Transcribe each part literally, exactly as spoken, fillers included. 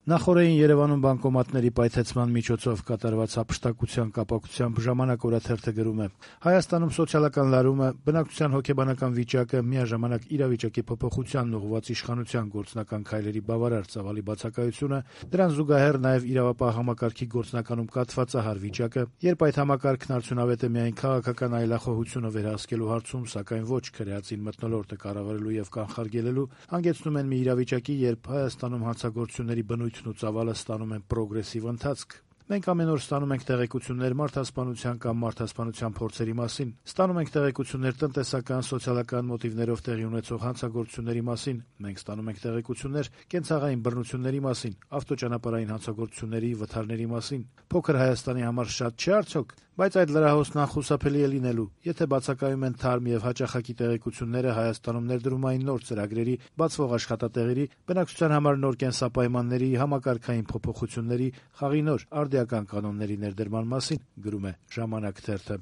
Նախօրեին Երևանում բանկոմատների պայթեցման միջոցով կատարված հափշտակության կապակցությամբ «Ժամանակ» օրաթերթը գրում է. Հայաստանում սոցիալական լարումը, բնակչության հոգեբանական վիճակը, միաժամանակ իրավիճակի փոփոխությանն ուղղված իշխանության գործնական քայլերի բավարար ծավալի բացակայությունը, դրան զուգահեռ նաև իրավապահ համակարգի գործնականում կաթվածահար վիճակը, երբ այդ համակարգն արդյունավետ է միայն քաղաքական այլախոհությունը վերահսկելու հարցում, սակայն ոչ քրեածին մթնոլորտը կառավարելու եւ կանխարգելելու, հանգեցնում են մի իրավիճակի, երբ Հայաստանում հանցագործությունների բնույթն ու ծավալը ստանում են պրոգրեսիվ ընթացք։ Մենք ամեն օր ստանում ենք տեղեկություններ մարդասպանության կամ մարդասպանության փորձերի մասին, ստանում ենք տեղեկություններ տնտեսական, սոցիալական մոտիվներով տեղի ունեցող հանցագործությունների մասին, մենք ստանում ենք տեղեկություններ կենցաղային բռնությունների մասին, ավտոճանապարհային հանցագործությունների, վթարների մասին։ Փոքր Հայաստանի համար շատ չէ արդյոք, բայց այդ լրահոսն անխուսափելի է լինելու, եթե բացակայում են թարմ եւ հաճախակի տեղեկությունները Հայաստանում ներդրումային նոր ծրագրերի, բացվող աշխատատեղերի, բնակչության համար նոր կենսապայմանների, համակարգային փոփոխությունների, խաղի նոր արդիական կանոնների ներդրման մասին, գրում է «Ժամանակ» թերթը։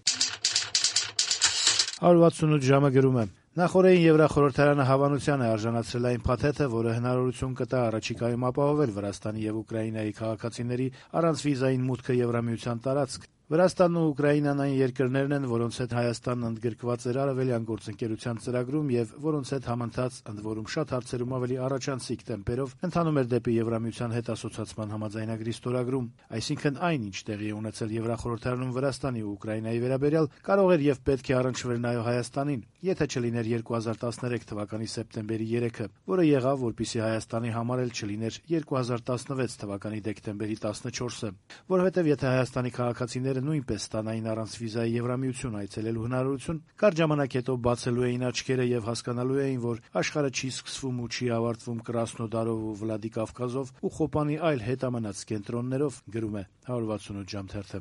one sixty-eight ժամը գրում է. Նախօրեին Եվրախորհրդարանը հավանության է արժանացրել այն փաթեթը, որը հնարավորություն կտա առաջիկայում ապահովել Վրաստանի եւ Ուկրաինայի քաղաքացիների առանց վիզային մուտքը Եվրամիության տարածք։ Վրաստանն ու Ուկրաինան այն երկրներն են, որոնց հետ Հայաստանն ընդգրկված էր Արևելյան գործընկերության ծրագրում եւ որոնց հետ համընթաց, ընդ որում շատ հարցերում ավելի առաջանցիկ տեմպերով ընթանում էր դեպի Եվրամիության հետ ասոցիացման համաձայնագրի ստորագրում, այսինքն այն, ինչ տեղի է ունեցել Եվրախորհրդարանում Վրաստանի ու Ուկրաինայի վերաբերյալ, կարող էր եւ պետք է առնչվեր նաեւ Հայաստանին, եթե չլիներ two thousand thirteen թվականի սեպտեմբերի երեքը, որը եղավ, որպեսզի Հայաստանի համար էլ չլիներ two thousand sixteen թվականի դեկտեմբերի fourteenը, որովհետեւ եթե Հայաստանի քաղաքացիները նույնպես ստանային առանց վիզայի Եվրամիություն այցելելու հնարավորություն, կարճ ժամանակ հետո բացելու էին աչքերը եւ հասկանալու էին, որ աշխարհը չի սկսվում ու չի ավարտվում Կրասնոդարով ու Վլադիկավկազով ու Խոպանի այլ հետամնաց կենտրոններով, գրում է one sixty-eight ժամ թերթը։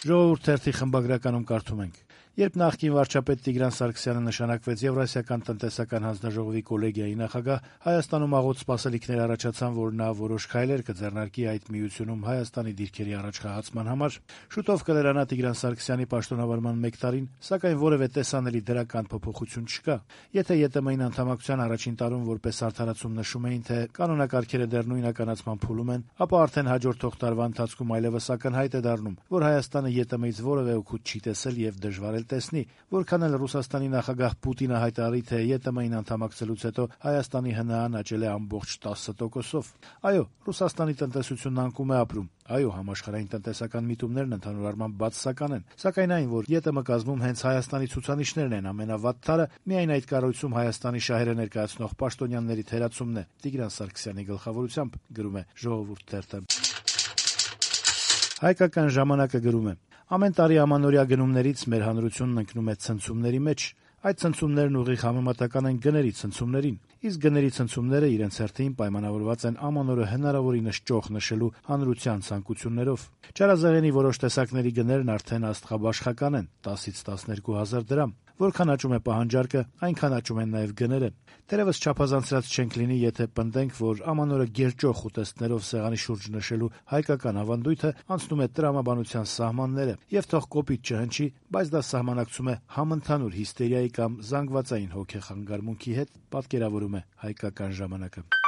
Ժողովուրդ թերթի խմբագրականում կարդում ենք. Երբ նախկին վարչապետ Տիգրան Սարգսյանը նշանակվեց Եվրասիական տնտեսական հանձնաժողովի կոլեգիայի նախագահ, Հայաստանում աղոտ սպասելիքներ առաջացան, որ նա որոշ քայլեր կձեռնարկի այդ միությունում Հայաստանի դիրքերի առաջխաղացման համար։ Շուտով կլրանա Տիգրան Սարգսյանի պաշտոնավարման մեկ տարին, սակայն որևէ տեսանելի դրական փոփոխություն չկա։ Եթե ԵՏՄ-ին անդամակցության առաջին տարում որպես արդարացում նշում էին, թե կանոնակարգերը դեռ նույնականացման փուլում են, ապա արդեն հաջորդող տարվա ընթացքում այլևս ակնհայտ է դառնում, որ Հայաստանը ԵՏՄ-ից որևէ օգուտ չի տեսել եւ դժվար տեսնի, որքան էլ Ռուսաստանի նախագահ Պուտինը հայտարարի, թե ԵՏՄ-ին անդամակցելուց հետո Հայաստանի ՀՆԱ-ն աճել է ամբողջ ten տոկոսով։ Այո, Ռուսաստանի տնտեսությունն անկում է ապրում։ Այո, համաշխարհային տնտեսական միտումներն ընդհանուր առմամբ բացասական են, սակայն այն, որ ԵՏՄ կազմում հենց Հայաստանի ցուցանիշներն են ամենավատ թարը, միայն այդ կառույցում Հայաստանի շահերը ներկայացնող պաշտոնյաների թերացումն է, Տիգրան Սարգսյանի գլխավորությամբ, գրում է Ժողովուրդ թերթը։ Հայկական ժամանակը գրում է. Ամեն տարի ամանորյա գնումներից մեր հանրությունն ընկնում է ցնցումների մեջ։ Այդ ցնցումներն ուղիղ համեմատական են գների ցնցումներին, իսկ գների ցնցումները իրենց հերթին պայմանավորված են ամանորը հնարավորինս ճոխ նշելու հանրության ցանկություններով։ Չարազեղենի որոշ տեսակների գներն արդեն աստղաբաշխական են՝ տասից տասներկու հազար դրամ։ Որքան աճում է պահանջարկը, այնքան աճում են նաև գները։ Թերևս չափազանցած չենք լինի, եթե պնդենք, որ ամանորը գերճոխ ուտեստներով սեղանի շուրջ նշելու հայկական ավանդույթը անցնում է տրամաբանության սահմանները, եւ թող կոպիտ չհնչի, բայց դա սահմանակցում է համընդհանուր հիստերիայի կամ զանգվածային հոգեխանգարմունքի հետ, պատկերավորում է Հայկական ժամանակը։